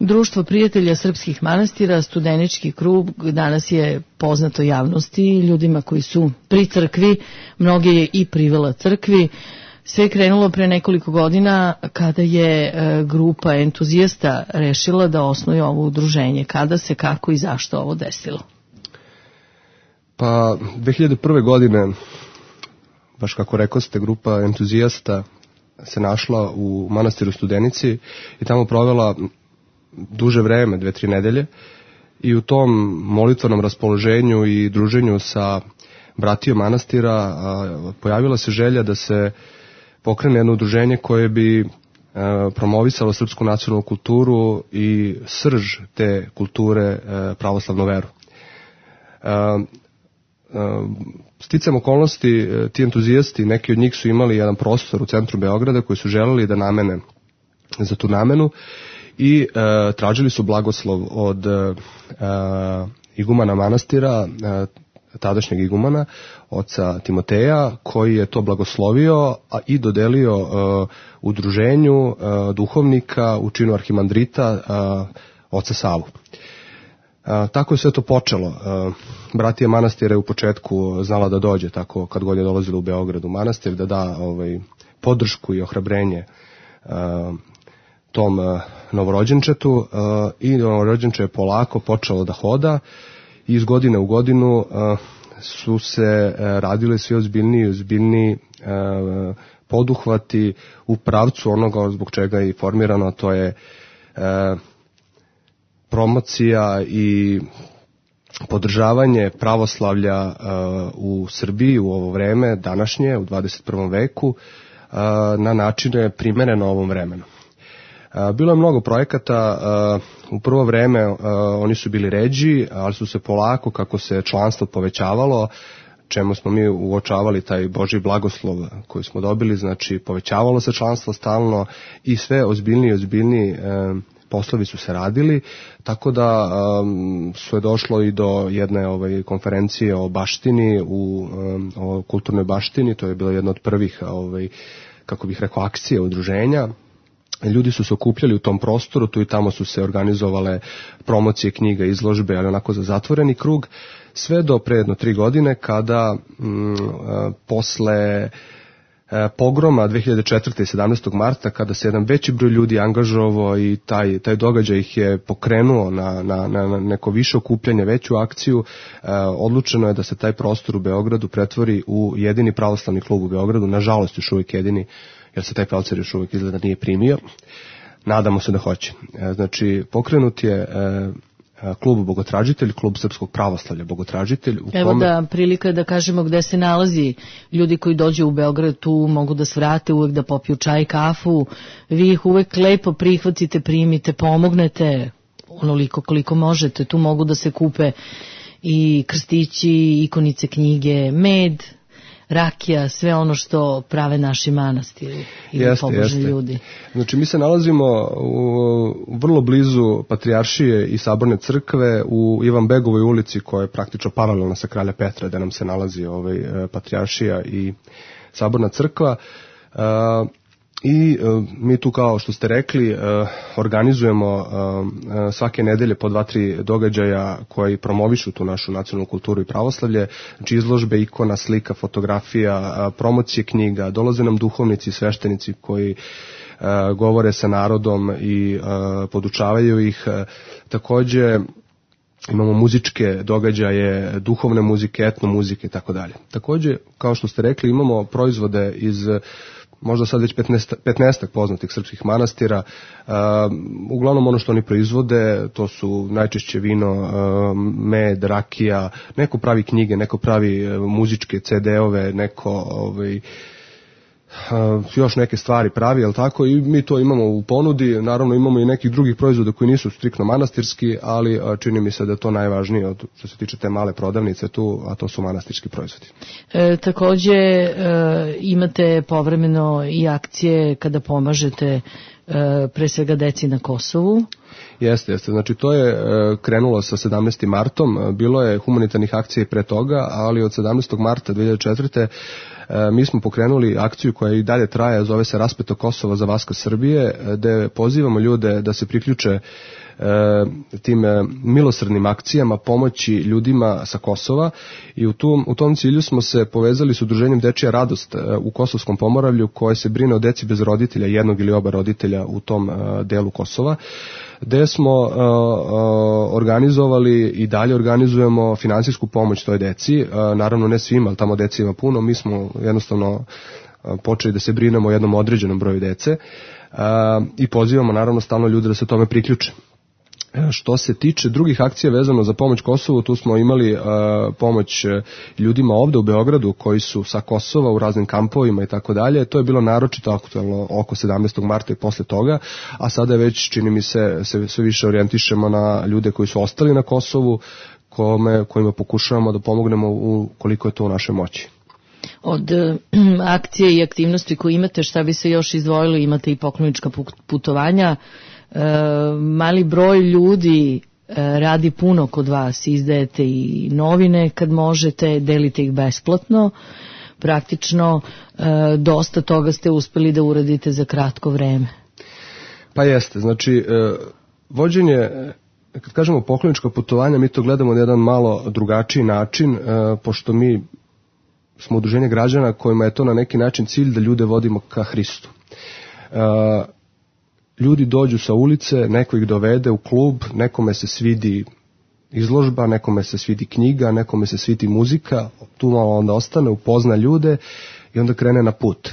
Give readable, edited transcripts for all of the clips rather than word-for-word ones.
Društvo prijatelja srpskih manastira, studenički krug, danas je poznato javnosti, ljudima koji su pri crkvi, mnoge je i privela crkvi. Sve je krenulo pre nekoliko godina kada je grupa entuzijasta rešila da osnuje ovo udruženje. Kada se, kako i zašto ovo desilo? Pa 2001. godine, baš kako rekoste, grupa entuzijasta se našla u manastiru Studenici i tamo provela duže vreme, 2-3 nedelje, i u tom molitvenom raspoloženju i druženju sa bratijom manastira pojavila se želja da se pokrene jedno udruženje koje bi promovisalo srpsku nacionalnu kulturu i srž te kulture, pravoslavnu veru. Sticam okolnosti, ti entuzijasti, neki od njih su imali jedan prostor u centru Beograda koji su želeli da namene za tu namenu i tražili su blagoslov od igumana manastira, tadašnjeg igumana, oca Timoteja, koji je to blagoslovio i dodelio udruženju duhovnika u činu arhimandrita oca Savu. Tako je sve to počelo. Bratija manastira je u početku znala da dođe, tako kad god je dolazila u Beograd u manastir, da da podršku i ohrabrenje tom novorođenčetu, i novorođenče je polako počelo da hoda i iz godine u godinu su se radile sve ozbiljniji poduhvati u pravcu onoga zbog čega je i formirano, to je promocija i podržavanje pravoslavlja u Srbiji u ovo vreme današnje, u 21. veku, na načine primereno ovom vremenu. Bilo je mnogo projekata, u prvo vreme oni su bili ređi, ali su se polako, kako se članstvo povećavalo, čemu smo mi uočavali taj Božji blagoslov koji smo dobili, znači povećavalo se članstvo stalno i sve ozbiljniji poslovi su se radili, tako da su je došlo i do jedne konferencije o baštini, o kulturnoj baštini, to je bila jedna od prvih, kako bih rekao, akcije udruženja. Ljudi su se okupljali u tom prostoru, tu i tamo su se organizovale promocije knjiga, izložbe, ali onako za zatvoreni krug, sve do pre jedno 3 godine kada posle pogroma 2004. i 17. marta, kada se jedan veći broj ljudi angažovao i taj događaj ih je pokrenuo na neko više okupljanje, veću akciju, odlučeno je da se taj prostor u Beogradu pretvori u jedini pravoslavni klub u Beogradu, nažalost još uvijek jedini, jer se taj pravoslavni još uvijek izgleda nije primio. Nadamo se da hoće. Znači, pokrenut je klub Bogotražitelj, klub srpskog pravoslavlja Bogotražitelj. Evo da prilika da kažemo gde se nalazi. Ljudi koji dođu u Beograd tu mogu da svrate, uvek da popiju čaj, kafu. Vi ih uvek lepo prihvatite, primite, pomognete onoliko koliko možete. Tu mogu da se kupe i krstići, ikonice, knjige, med, rakija, sve ono što prave naši manastiri ili pobožni ljudi. Znači, mi se nalazimo vrlo blizu Patrijaršije i Saborne crkve u Ivanbegovoj ulici, koja je praktično paralelna sa Kralja Petra, gde nam se nalazi Patrijaršija i Saborna crkva. I mi tu, kao što ste rekli, organizujemo svake nedelje po 2-3 događaja koji promovišu tu našu nacionalnu kulturu i pravoslavlje, znači izložbe, ikona, slika, fotografija, promocije knjiga, dolaze nam duhovnici i sveštenici koji govore sa narodom i podučavaju ih. Takođe imamo muzičke događaje, duhovne muzike, etno muzike i tako dalje. Takođe, kao što ste rekli, imamo proizvode iz možda sad već 15 poznatih srpskih manastira. Uglavnom ono što oni proizvode, to su najčešće vino, med, rakija, neko pravi knjige, neko pravi muzičke CD-ove, neko još neke stvari pravi, jel tako, i mi to imamo u ponudi. Naravno imamo i nekih drugih proizvoda koji nisu striktno manastirski, ali čini mi se da je to najvažnije od što se tiče te male prodavnice tu, a to su manastirski proizvodi. Takođe imate povremeno i akcije kada pomažete pre svega deci na Kosovu. Jeste. Znači to je krenulo sa 17. martom, bilo je humanitarnih akcija i pre toga, ali od 17. marta 2004. mi smo pokrenuli akciju koja i dalje traje, zove se Raspeto Kosovo za Vaskrs Srbije, gde pozivamo ljude da se priključe tim milosrdnim akcijama pomoći ljudima sa Kosova i u tom cilju smo se povezali s udruženjem Dečija radost u Kosovskom Pomoravlju koje se brine o deci bez roditelja, jednog ili oba roditelja u tom delu Kosova, gde smo organizovali i dalje organizujemo finansijsku pomoć toj deci, naravno ne svima, ali tamo deci ima puno, mi smo jednostavno počeli da se brinemo o jednom određenom broju dece i pozivamo naravno stalno ljude da se tome priključe. Što se tiče drugih akcija vezano za pomoć Kosovu, tu smo imali pomoć ljudima ovde u Beogradu koji su sa Kosova u raznim kampovima i tako dalje. To je bilo naročito aktualno oko 17. marta i posle toga, a sada već čini mi se sve više orijentišemo na ljude koji su ostali na Kosovu, kojima pokušavamo da pomognemo koliko je to u našoj moći. Od akcije i aktivnosti koje imate, šta bi se još izdvojilo, imate i poklonička putovanja. Mali broj ljudi radi puno kod vas, izdajete i novine kad možete, delite ih besplatno, praktično dosta toga ste uspeli da uradite za kratko vreme. Pa jeste, znači vođenje, kad kažemo poklonička putovanja, mi to gledamo na jedan malo drugačiji način, pošto mi smo udruženje građana kojima je to na neki način cilj da ljude vodimo ka Hristu. Ljudi dođu sa ulice, neko ih dovede u klub, nekome se svidi izložba, nekome se svidi knjiga, nekome se svidi muzika, tu malo onda ostane, upozna ljude i onda krene na put.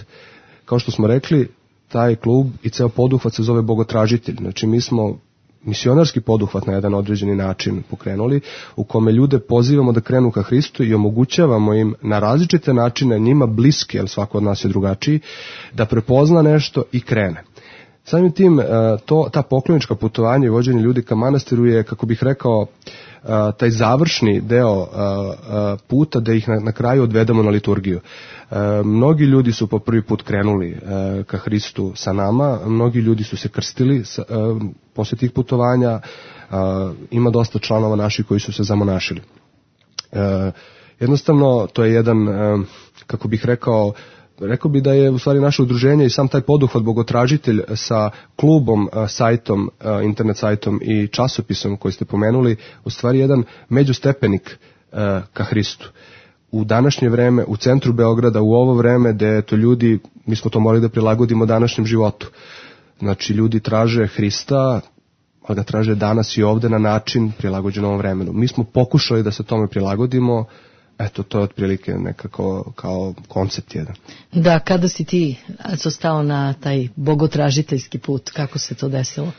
Kao što smo rekli, taj klub i ceo poduhvat se zove Bogotražitelj. Znači mi smo misionarski poduhvat na jedan određeni način pokrenuli, u kome ljude pozivamo da krenu ka Hristu i omogućavamo im na različite načine, njima bliski, jer svako od nas je drugačiji, da prepozna nešto i krene. Samim tim, ta poklonička putovanja i vođenje ljudi ka manastiru je, kako bih rekao, taj završni deo puta da ih na kraju odvedemo na liturgiju. Mnogi ljudi su po prvi put krenuli ka Hristu sa nama, mnogi ljudi su se krstili posle tih putovanja, ima dosta članova naših koji su se zamonašili. Jednostavno, to je jedan, kako bih rekao bi da je u stvari naše udruženje i sam taj poduhvat Bogotražitelj sa klubom, sajtom, internet sajtom i časopisom koji ste pomenuli, u stvari jedan međustepenik ka Hristu. U današnje vreme, u centru Beograda, u ovo vreme gde to ljudi, mi smo to morali da prilagodimo današnjem životu. Znači ljudi traže Hrista, ali ga traže danas i ovde na način prilagođen ovom vremenu. Mi smo pokušali da se tome prilagodimo. Eto, to je otprilike nekako kao koncept jedan. Da, kada si ti stao na taj bogotražiteljski put, kako se to desilo?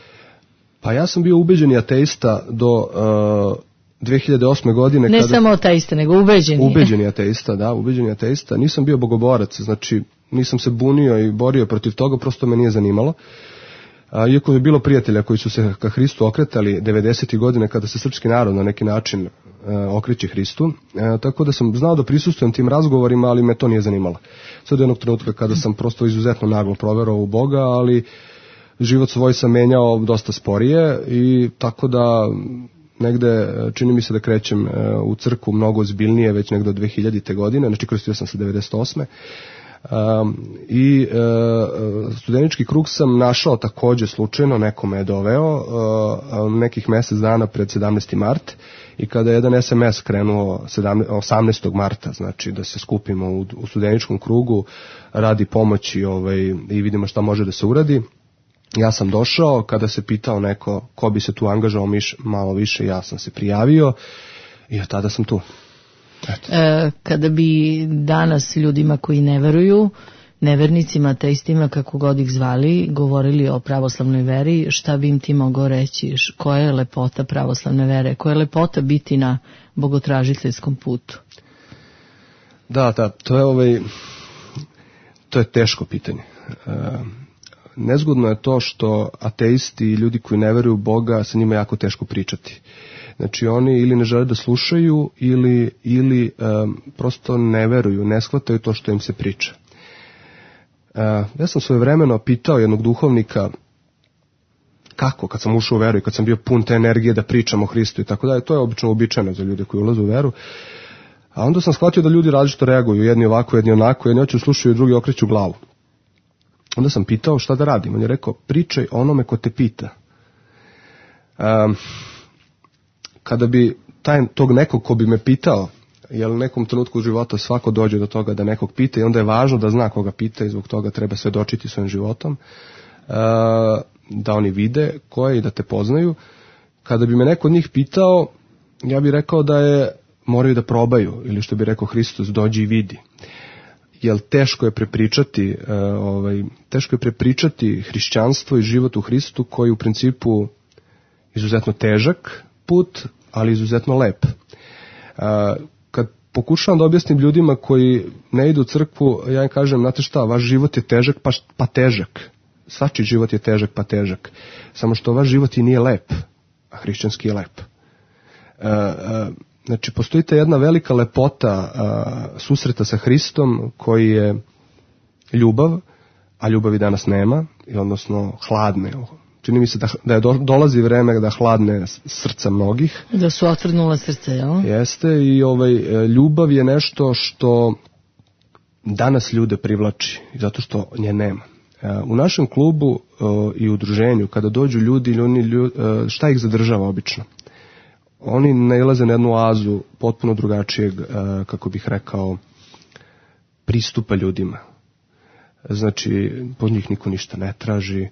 Pa ja sam bio ubeđeni ateista do 2008. godine. Ne samo ateista, nego ubeđeni. Ubeđeni ateista, da, ubeđeni ateista. Nisam bio bogoborac, znači nisam se bunio i borio protiv toga, prosto me nije zanimalo. Iako je bilo prijatelja koji su se ka Hristu okretali 90. godine kada se srpski narod na neki način okreće Hristu, tako da sam znao da prisustvujem tim razgovorima, ali me to nije zanimalo. Sve do jednog trenutka kada sam prosto izuzetno naglo proverao u Boga, ali život svoj sam menjao dosta sporije i tako da negde čini mi se da krećem u crkvu mnogo ozbiljnije već negde od 2000. godine, znači krstio sam se 98. I studenički krug sam našao takođe slučajno, neko me je doveo nekih mesec dana pred 17. mart i kada je jedan SMS krenuo 18. marta, znači da se skupimo u studeničkom krugu radi pomoći i vidimo šta može da se uradi. Ja sam došao, kada se pitao neko ko bi se tu angažao malo više, ja sam se prijavio i od tada sam tu. Kada bi danas ljudima koji ne veruju, nevernicima, ateistima, kako god ih zvali, govorili o pravoslavnoj veri, šta bi im ti mogao reći? Koja je lepota pravoslavne vere? Koja je lepota biti na bogotražiteljskom putu? Da, to je teško pitanje. Nezgodno je to što ateisti i ljudi koji ne veruju u Boga, sa njima jako teško pričati. Znači oni ili ne žele da slušaju ili prosto ne veruju, ne shvataju to što im se priča. Ja sam svojevremeno pitao jednog duhovnika kako, kad sam ušao u veru i kad sam bio pun te energije da pričam o Hristu i tako dalje, to je obično uobičajeno za ljude koji ulaze u veru. A onda sam shvatio da ljudi različito reaguju, jedni ovako, jedni onako, jedni hoće slušaju, drugi okreću glavu. Onda sam pitao šta da radim, on je rekao pričaj onome ko te pita. Kada bi tog nekog ko bi me pitao, jer u nekom trenutku u života svako dođe do toga da nekog pita i onda je važno da zna koga pita i zbog toga treba svedočiti svojim životom, da oni vide ko je i da te poznaju. Kada bi me neko od njih pitao, ja bih rekao da moraju da probaju, ili što bi rekao Hristos, dođi i vidi. Jer teško je prepričati hrišćanstvo i život u Hristu, koji je u principu izuzetno težak put, ali izuzetno lep. Kad pokušavam da objasnim ljudima koji ne idu u crkvu, ja im kažem, znate šta, vaš život je težak pa težak. Svačiji život je težak pa težak. Samo što vaš život i nije lep, a hrišćanski je lep. Znači, postoji ta jedna velika lepota susreta sa Hristom, koji je ljubav, a ljubavi danas nema, odnosno hladne. Čini mi se da dolazi vreme da hladne srca mnogih. Da su otvrdnula srce, jel? Jeste, i ljubav je nešto što danas ljude privlači, zato što nje nema. U našem klubu i udruženju, kada dođu ljudi, šta ih zadržava obično? Oni nailaze na jednu oazu potpuno drugačijeg, kako bih rekao, pristupa ljudima. Znači, pod njih niko ništa ne traži,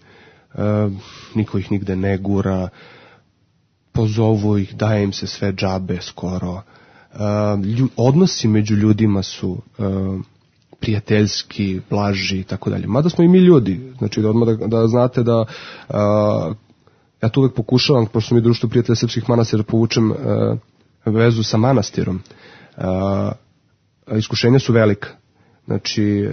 niko ih nigde ne gura, pozovu ih, daje im se sve džabe skoro. Odnosi među ljudima su prijateljski, blaži i tako dalje. Mada smo i mi ljudi, znači odmah da znate da ja tu uvek pokušavam, pošto mi društvo prijatelja srpskih manastira, povučem vezu sa manastirom. Iskušenja su velika. Znači,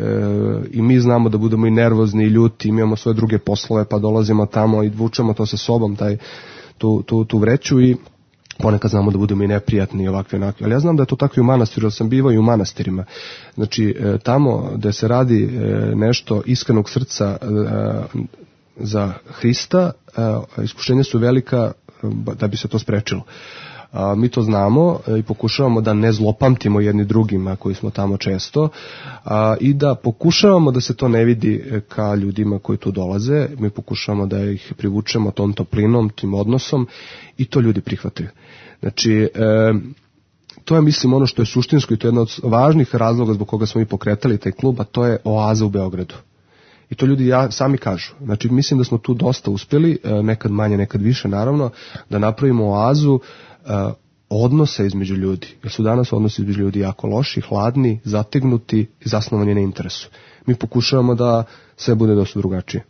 i mi znamo da budemo i nervozni i ljuti, imamo svoje druge poslove, pa dolazimo tamo i vučemo to sa sobom, tu vreću, i ponekad znamo da budemo i neprijatni i ovakve onakve. Ali ja znam da je to tako i u manastiru, jer sam bivao i u manastirima. Znači, tamo gde se radi nešto iskrenog srca za Hrista, iskušenja su velika da bi se to sprečilo. Mi to znamo i pokušavamo da ne zlopamtimo jedni drugima koji smo tamo često, i da pokušavamo da se to ne vidi ka ljudima koji tu dolaze. Mi pokušavamo da ih privučemo tom toplinom, tim odnosom, i to ljudi prihvataju. Znači, to je, mislim, ono što je suštinsko i to je jedna od važnih razloga zbog koga smo mi pokretali taj klub, a to je oaza u Beogradu. I to ljudi sami kažu. Znači, mislim da smo tu dosta uspjeli, nekad manje, nekad više, naravno, da napravimo oazu odnose između ljudi. Jer su danas odnosi između ljudi jako loši, hladni, zategnuti i zasnovani na interesu. Mi pokušavamo da sve bude dosta drugačije.